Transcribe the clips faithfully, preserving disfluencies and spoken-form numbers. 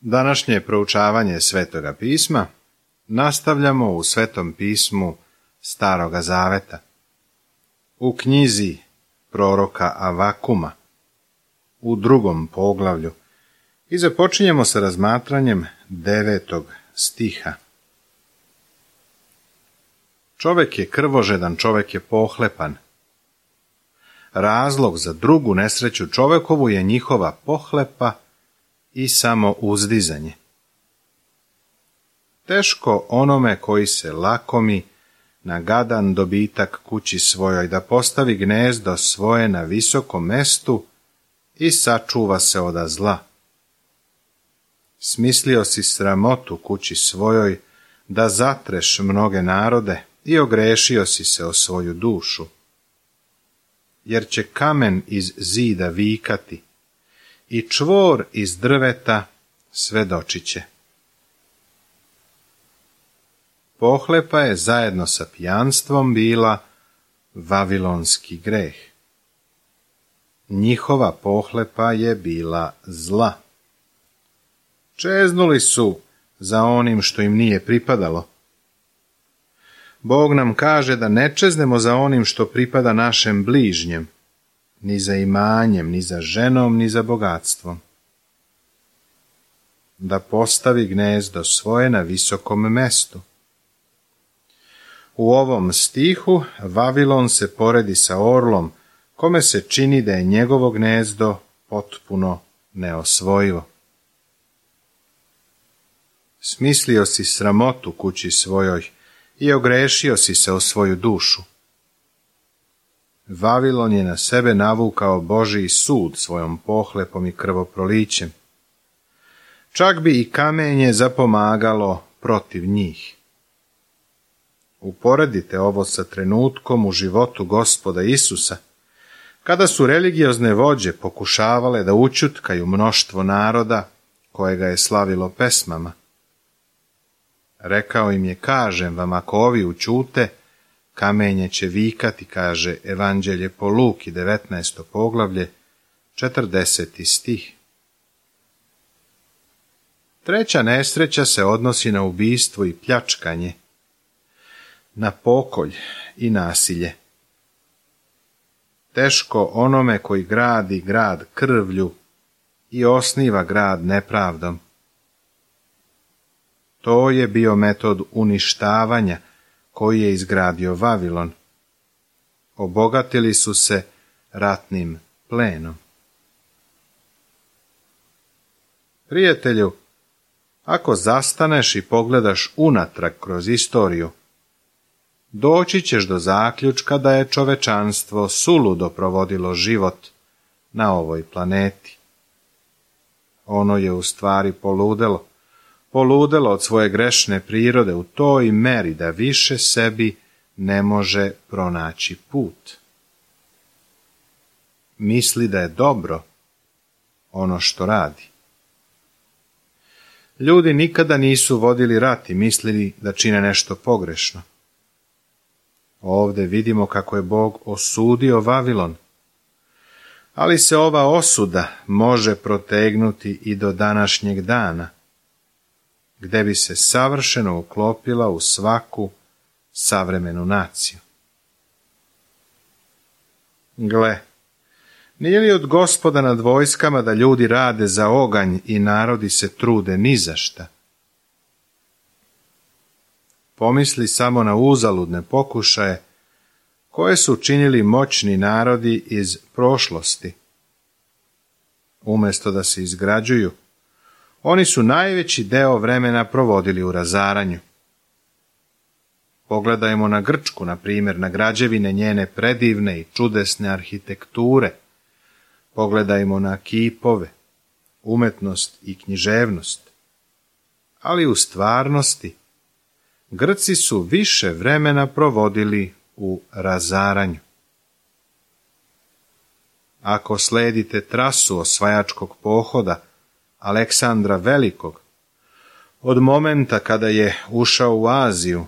Današnje proučavanje Svetoga pisma nastavljamo u Svetom pismu Staroga zaveta, u knjizi proroka Avakuma, u drugom poglavlju, i započinjemo sa razmatranjem devetog stiha. Čovek je krvožedan, čovek je pohlepan. Razlog za drugu nesreću čovekovu je njihova pohlepa i samo uzdizanje. Teško onome koji se lakomi na gadan dobitak kući svojoj da postavi gnezdo svoje na visokom mestu i sačuva se oda zla. Smislio si sramotu kući svojoj da zatreš mnoge narode i ogrešio si se o svoju dušu. Jer će kamen iz zida vikati i čvor iz drveta svedočit će. Pohlepa je zajedno sa pijanstvom bila vavilonski greh. Njihova pohlepa je bila zla. Čeznuli su za onim što im nije pripadalo. Bog nam kaže da ne čeznemo za onim što pripada našem bližnjem, ni za imanjem, ni za ženom, ni za bogatstvom. Da postavi gnezdo svoje na visokom mestu. U ovom stihu Vavilon se poredi sa orlom, kome se čini da je njegovo gnezdo potpuno neosvojivo. Smislio si sramotu kući svojoj i ogrešio si se o svoju dušu. Vavilon je na sebe navukao Božji sud svojom pohlepom i krvoprolićem. Čak bi i kamenje zapomagalo protiv njih. Uporedite ovo sa trenutkom u životu Gospoda Isusa, kada su religiozne vođe pokušavale da ućutkaju mnoštvo naroda koje ga je slavilo pesmama. Rekao im je, kažem vam, ako ovi ućute, kamenje će vikati, kaže Evanđelje po Luki, devetnaesto poglavlje, četrdeseti stih. Treća nesreća se odnosi na ubistvo i pljačkanje, na pokolj i nasilje. Teško onome koji gradi grad krvlju i osniva grad nepravdom. To je bio metod uništavanja koji je izgradio Vavilon. Obogatili su se ratnim plenom. Prijatelju, ako zastaneš i pogledaš unatrag kroz istoriju, doći ćeš do zaključka da je čovečanstvo suludo provodilo život na ovoj planeti. Ono je u stvari poludelo. Poludelo od svoje grešne prirode u toj meri da više sebi ne može pronaći put. Misli da je dobro ono što radi. Ljudi nikada nisu vodili rat i mislili da čine nešto pogrešno. Ovdje vidimo kako je Bog osudio Vavilon, ali se ova osuda može protegnuti i do današnjeg dana, gde bi se savršeno uklopila u svaku savremenu naciju. Gle, nije li od Gospoda nad vojskama da ljudi rade za oganj i narodi se trude ni za šta? Pomisli samo na uzaludne pokušaje koje su činili moćni narodi iz prošlosti. Umjesto da se izgrađuju, oni su najveći deo vremena provodili u razaranju. Pogledajmo na Grčku, na primjer, na građevine njene predivne i čudesne arhitekture. Pogledajmo na kipove, umetnost i književnost. Ali u stvarnosti, Grci su više vremena provodili u razaranju. Ako sledite trasu osvajačkog pohoda Aleksandra Velikog, od momenta kada je ušao u Aziju,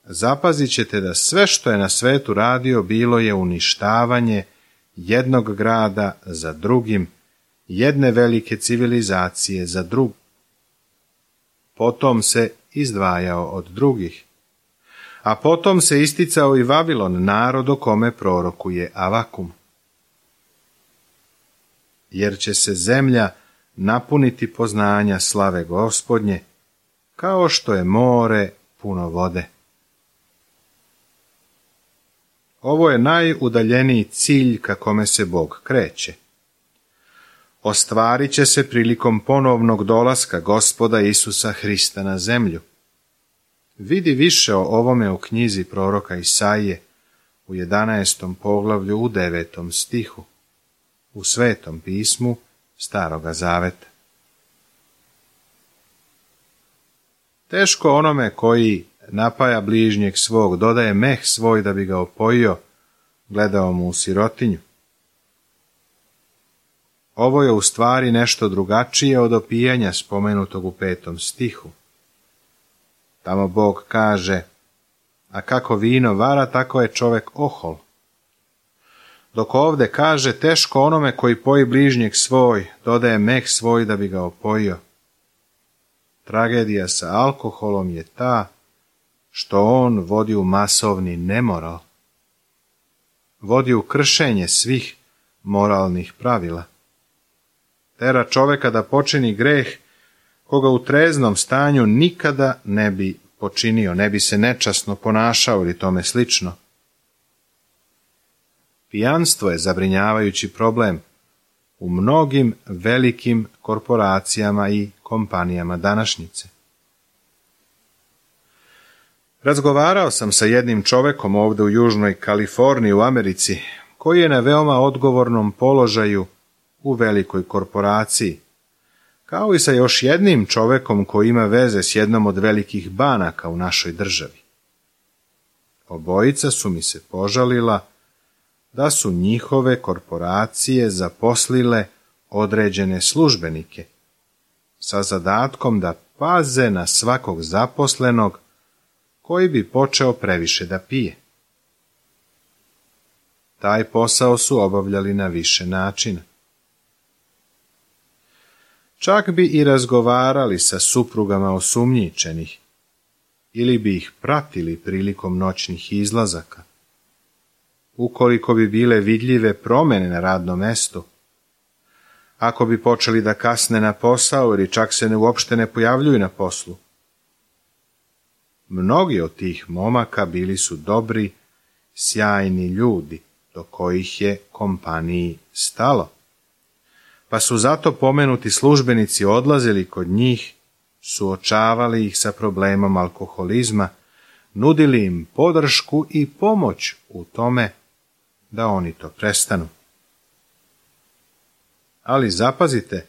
zapazit ćete da sve što je na svetu radio bilo je uništavanje jednog grada za drugim jedne velike civilizacije za drugu. Potom se izdvajao od drugih. A potom se isticao i Vavilon, narod o kome prorokuje Avakum. Jer će se zemlja napuniti poznanja slave Gospodnje, kao što je more puno vode. Ovo je najudaljeniji cilj ka kome se Bog kreće. Ostvarit će se prilikom ponovnog dolaska Gospoda Isusa Hrista na zemlju. Vidi više o ovome u knjizi proroka Isaije u jedanaestom poglavlju u devetom stihu, u Svetom pismu Staroga Zaveta. Teško onome koji napaja bližnjeg svog, dodaje meh svoj da bi ga opojio, gledao mu u sirotinju. Ovo je u stvari nešto drugačije od opijanja spomenutog u petom stihu. Tamo Bog kaže, a kako vino vara, tako je čovek ohol. Dok ovde kaže, teško onome koji poji bližnjeg svoj, dodaje meh svoj da bi ga opojio. Tragedija sa alkoholom je ta što on vodi u masovni nemoral. Vodi u kršenje svih moralnih pravila. Tera čoveka da počini greh koga u treznom stanju nikada ne bi počinio, ne bi se nečasno ponašao ili tome slično. Pijanstvo je zabrinjavajući problem u mnogim velikim korporacijama i kompanijama današnjice. Razgovarao sam sa jednim čovekom ovdje u Južnoj Kaliforniji u Americi, koji je na veoma odgovornom položaju u velikoj korporaciji, kao i sa još jednim čovekom koji ima veze s jednom od velikih banaka u našoj državi. Obojica su mi se požalila da su njihove korporacije zaposlile određene službenike sa zadatkom da paze na svakog zaposlenog koji bi počeo previše da pije. Taj posao su obavljali na više načina. Čak bi i razgovarali sa suprugama osumnjičenih ili bi ih pratili prilikom noćnih izlazaka. Ukoliko bi bile vidljive promjene na radnom mestu, ako bi počeli da kasne na posao ili čak se ne uopšte ne pojavljuju na poslu. Mnogi od tih momaka bili su dobri, sjajni ljudi, do kojih je kompaniji stalo. Pa su zato pomenuti službenici odlazili kod njih, suočavali ih sa problemom alkoholizma, nudili im podršku i pomoć u tome da oni to prestanu. Ali zapazite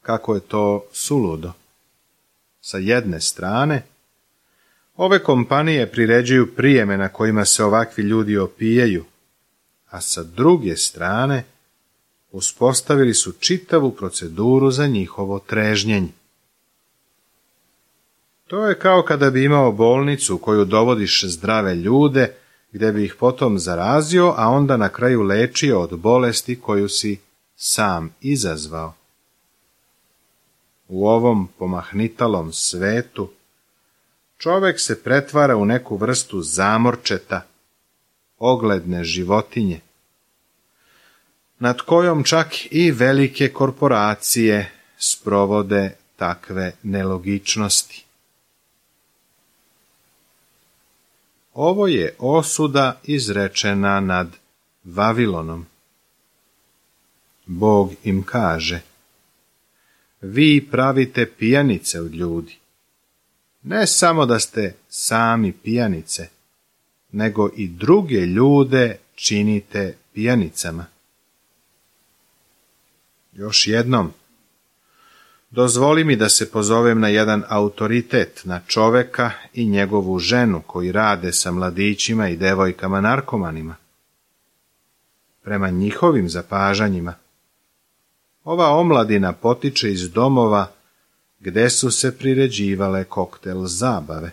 kako je to suludo. Sa jedne strane, ove kompanije priređuju prijeme na kojima se ovakvi ljudi opijaju, a sa druge strane uspostavili su čitavu proceduru za njihovo trežnjenje. To je kao kada bi imao bolnicu u koju dovodiš zdrave ljude, gdje bi ih potom zarazio, a onda na kraju lečio od bolesti koju si sam izazvao. U ovom pomahnitalom svetu čovek se pretvara u neku vrstu zamorčeta, ogledne životinje, nad kojom čak i velike korporacije sprovode takve nelogičnosti. Ovo je osuda izrečena nad Vavilonom. Bog im kaže, vi pravite pijanice od ljudi. Ne samo da ste sami pijanice, nego i druge ljude činite pijanicama. Još jednom, dozvoli mi da se pozovem na jedan autoritet, na čoveka i njegovu ženu koji rade sa mladićima i devojkama narkomanima. Prema njihovim zapažanjima, ova omladina potiče iz domova gde su se priređivale koktel zabave.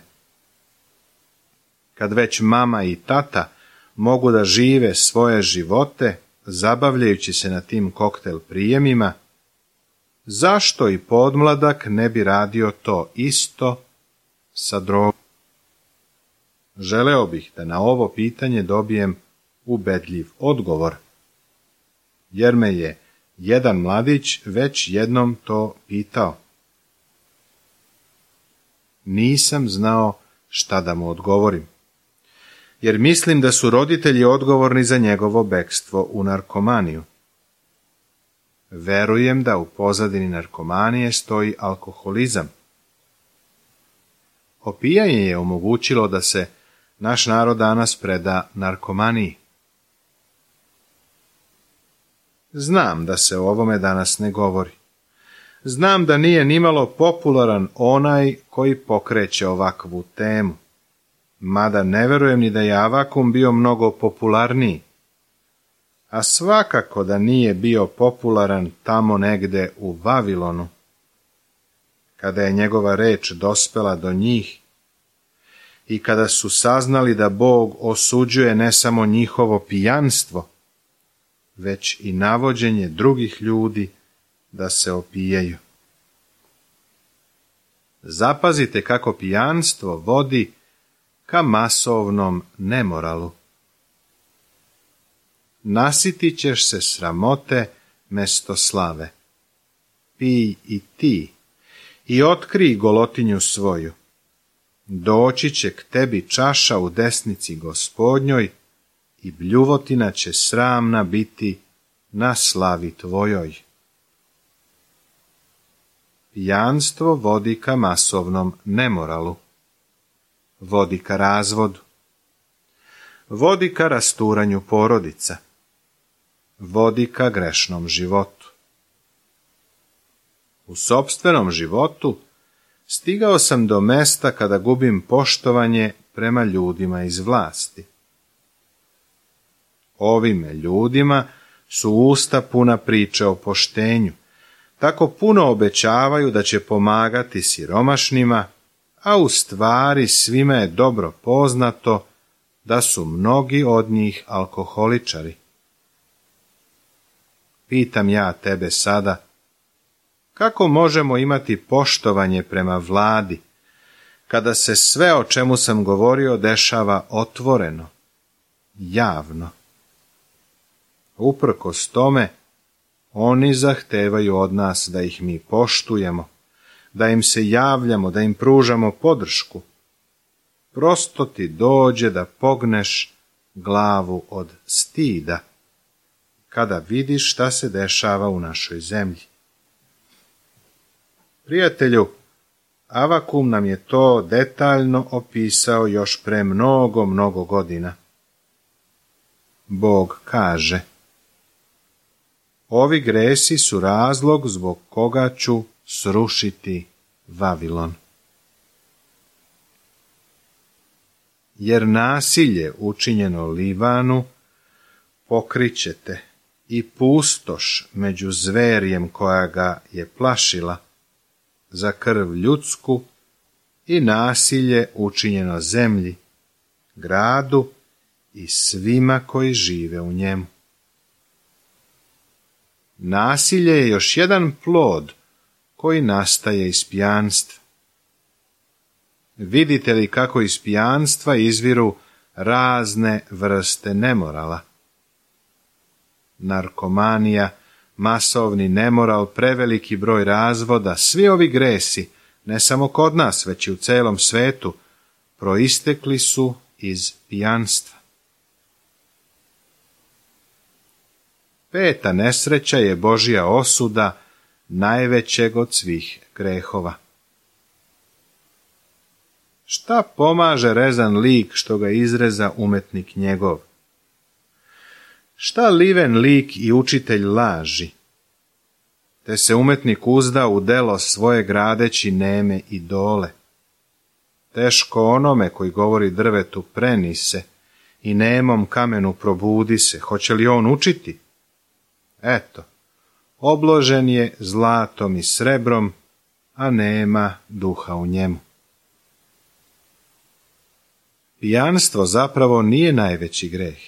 Kad već mama i tata mogu da žive svoje živote, zabavljajući se na tim koktel prijemima, zašto i podmladak ne bi radio to isto sa drogom? Želeo bih da na ovo pitanje dobijem ubedljiv odgovor, jer me je jedan mladić već jednom to pitao. Nisam znao šta da mu odgovorim, jer mislim da su roditelji odgovorni za njegovo bekstvo u narkomaniju. Verujem da u pozadini narkomanije stoji alkoholizam. Opijanje je omogućilo da se naš narod danas preda narkomaniji. Znam da se o ovome danas ne govori. Znam da nije nimalo popularan onaj koji pokreće ovakvu temu. Mada ne verujem ni da je Avakum bio mnogo popularniji. A svakako da nije bio popularan tamo negde u Vavilonu. Kada je njegova reč dospela do njih i kada su saznali da Bog osuđuje ne samo njihovo pijanstvo, već i navođenje drugih ljudi da se opijaju. Zapazite kako pijanstvo vodi ka masovnom nemoralu. Nasitit ćeš se sramote mesto slave. Pij i ti i otkrij golotinju svoju. Doći će k tebi čaša u desnici Gospodnjoj i bljuvotina će sramna biti na slavi tvojoj. Pijanstvo vodi ka masovnom nemoralu. Vodi ka razvodu. Vodi ka rasturanju porodica. Vodi ka grešnom životu. U sopstvenom životu stigao sam do mesta kada gubim poštovanje prema ljudima iz vlasti. Ovime ljudima su usta puna priče o poštenju, tako puno obećavaju da će pomagati siromašnima, a u stvari svima je dobro poznato da su mnogi od njih alkoholičari. Pitam ja tebe sada, kako možemo imati poštovanje prema vladi, kada se sve o čemu sam govorio dešava otvoreno, javno? Uprkos tome, oni zahtevaju od nas da ih mi poštujemo, da im se javljamo, da im pružamo podršku. Prosto ti dođe da pogneš glavu od stida, kada vidiš šta se dešava u našoj zemlji. Prijatelju, Avakum nam je to detaljno opisao još pre mnogo, mnogo godina. Bog kaže: ovi gresi su razlog zbog koga ću srušiti Vavilon. Jer nasilje učinjeno Livanu pokrićete i pustoš među zverjem koja ga je plašila, za krv ljudsku i nasilje učinjeno zemlji, gradu i svima koji žive u njemu. Nasilje je još jedan plod koji nastaje iz pijanstva. Vidite li kako iz pijanstva izviru razne vrste nemorala? Narkomanija, masovni nemoral, preveliki broj razvoda, svi ovi gresi, ne samo kod nas, već i u celom svetu, proistekli su iz pijanstva. Peta nesreća je Božja osuda najvećeg od svih grehova. Šta pomaže rezan lik što ga izreza umetnik njegov? Šta liven lik i učitelj laži? Te se umetnik uzda u delo svoje gradeći neme idole. Teško onome koji govori drvetu preni se i nemom kamenu probudi se, hoće li on učiti? Eto, obložen je zlatom i srebrom, a nema duha u njemu. Pijanstvo zapravo nije najveći greh.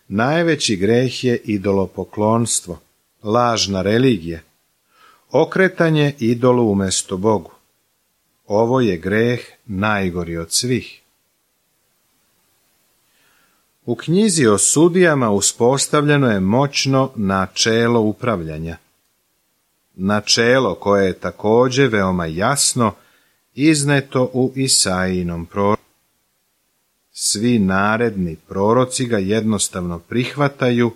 Najveći greh je idolopoklonstvo, lažna religija, okretanje idolu umjesto Bogu. Ovo je greh najgori od svih. U knjizi o sudijama uspostavljeno je moćno načelo upravljanja. Načelo koje je također veoma jasno izneto u Isaijinom proroku. Svi naredni proroci ga jednostavno prihvataju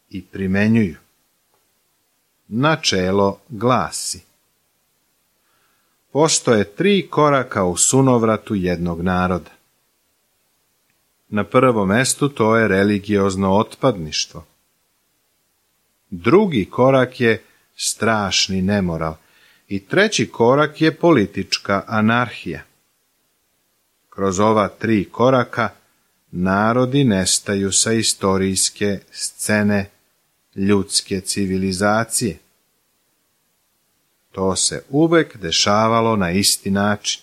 i primjenjuju. Načelo glasi: postoje tri koraka u sunovratu jednog naroda. Na prvom mjestu to je religiozno otpadništvo. Drugi korak je strašni nemoral i treći korak je politička anarhija. Kroz ova tri koraka narodi nestaju sa istorijske scene ljudske civilizacije. To se uvek dešavalo na isti način.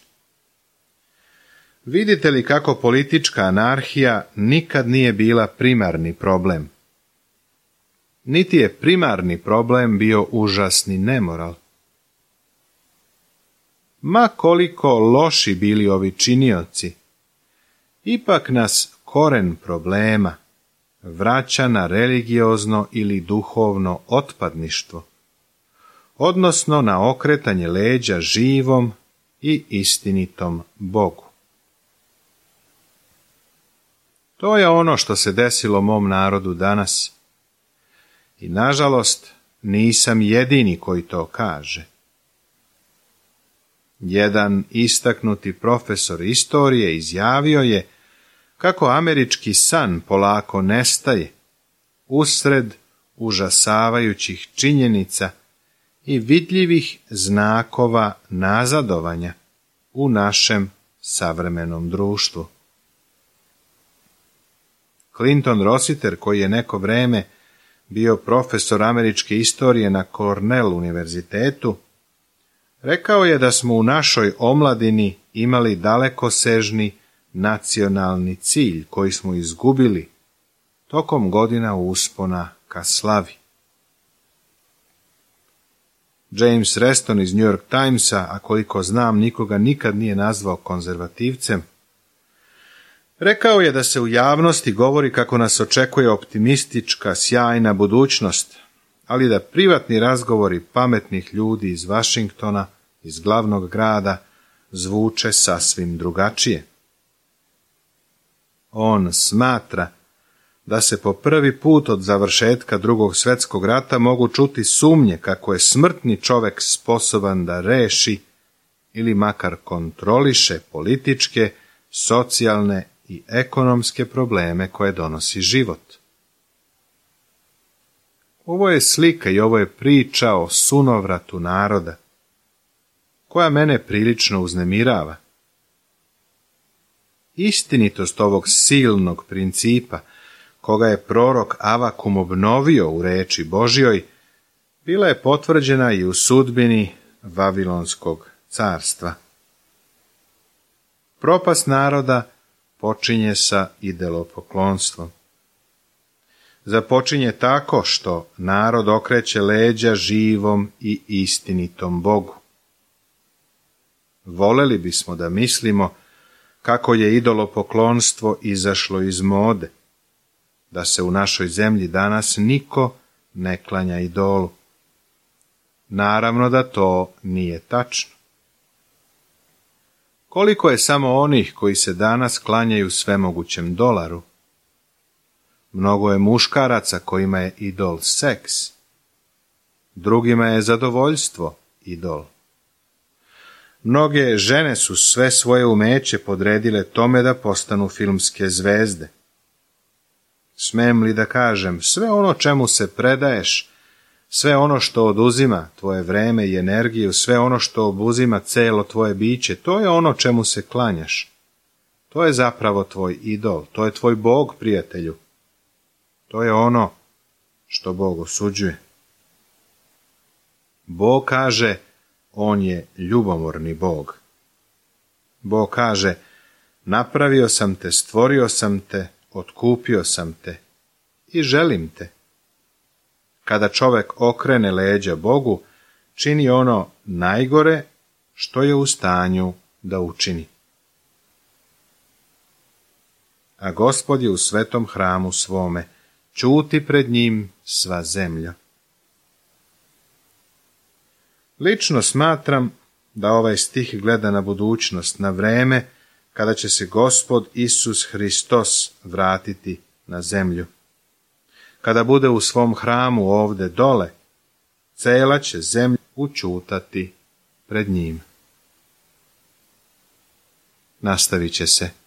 Vidite li kako politička anarhija nikad nije bila primarni problem? Niti je primarni problem bio užasni nemoral. Ma koliko loši bili ovi činioci, ipak nas koren problema vraća na religiozno ili duhovno otpadništvo, odnosno na okretanje leđa živom i istinitom Bogu. To je ono što se desilo mom narodu danas. I nažalost nisam jedini koji to kaže. Jedan istaknuti profesor istorije izjavio je kako američki san polako nestaje usred užasavajućih činjenica i vidljivih znakova nazadovanja u našem savremenom društvu. Clinton Rossiter, koji je neko vreme bio profesor američke istorije na Cornell univerzitetu, rekao je da smo u našoj omladini imali dalekosežni nacionalni cilj koji smo izgubili tokom godina uspona ka slavi. James Reston iz New York Timesa, a koliko znam nikoga nikad nije nazvao konzervativcem, rekao je da se u javnosti govori kako nas očekuje optimistička, sjajna budućnost, ali da privatni razgovori pametnih ljudi iz Vašingtona, iz glavnog grada, zvuče sasvim drugačije. On smatra da se po prvi put od završetka Drugog svjetskog rata mogu čuti sumnje kako je smrtni čovek sposoban da reši ili makar kontroliše političke, socijalne i ekonomske probleme koje donosi život. Ovo je slika i ovo je priča o sunovratu naroda, koja mene prilično uznemirava. Istinitost ovog silnog principa, koga je prorok Avakum obnovio u reči Božjoj, bila je potvrđena i u sudbini Vavilonskog carstva. Propast naroda počinje sa idolopoklonstvom. Započinje tako što narod okreće leđa živom i istinitom Bogu. Voleli bismo da mislimo kako je idolopoklonstvo izašlo iz mode, da se u našoj zemlji danas niko ne klanja idolu. Naravno da to nije tačno. Koliko je samo onih koji se danas klanjaju svemogućem dolaru? Mnogo je muškaraca kojima je idol seks. Drugima je zadovoljstvo idol. Mnoge žene su sve svoje umeće podredile tome da postanu filmske zvezde. Smem li da kažem, sve ono čemu se predaješ, sve ono što oduzima tvoje vreme i energiju, sve ono što obuzima celo tvoje biće, to je ono čemu se klanjaš. To je zapravo tvoj idol, to je tvoj Bog, prijatelju. To je ono što Bog osuđuje. Bog kaže, on je ljubomorni Bog. Bog kaže, napravio sam te, stvorio sam te, otkupio sam te i želim te. Kada čovek okrene leđa Bogu, čini ono najgore što je u stanju da učini. A Gospod je u svetom hramu svome, ćuti pred njim sva zemlja. Lično smatram da ovaj stih gleda na budućnost, na vreme kada će se Gospod Isus Hristos vratiti na zemlju. Kada bude u svom hramu ovde dole, cela će zemlja učutati pred njim. Nastavit će se.